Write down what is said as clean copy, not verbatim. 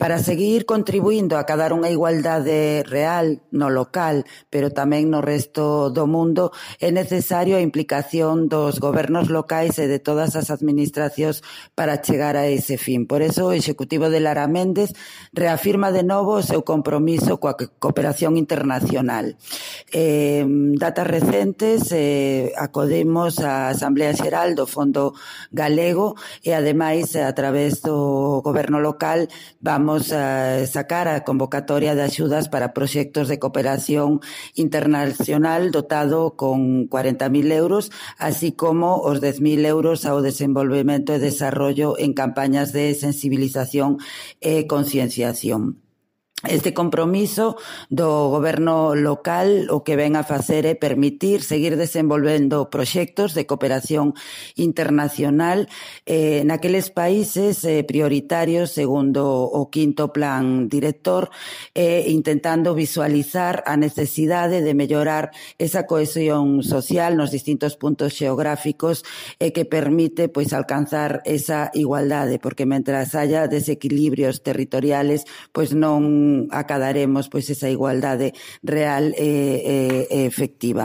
Para seguir contribuindo a acadar unha igualdade real no local, pero tamén no resto do mundo, é necesario a implicación dos gobernos locais e de todas as administracións para chegar a ese fin. Por eso, o Executivo de Lara Méndez reafirma de novo o seu compromiso coa cooperación internacional. Datas recentes acodemos á Asamblea Xeral do Fondo Galego e, ademais, a través do goberno local vamos a sacar a convocatoria de axudas para proxectos de cooperación internacional dotado con 40.000 euros, así como os 10.000 euros ao desenvolvemento e desarrollo en campañas de sensibilización e concienciación. Este compromiso do goberno local o que ven a facer é permitir seguir desenvolvendo proxectos de cooperación internacional naqueles países prioritarios segundo o quinto plan director, intentando visualizar a necesidade de mellorar esa cohesión social nos distintos puntos xeográficos que permite pois alcanzar esa igualdade, porque mentras haya desequilibrios territoriales pois non acadaremos pois esa igualdade real e efectiva.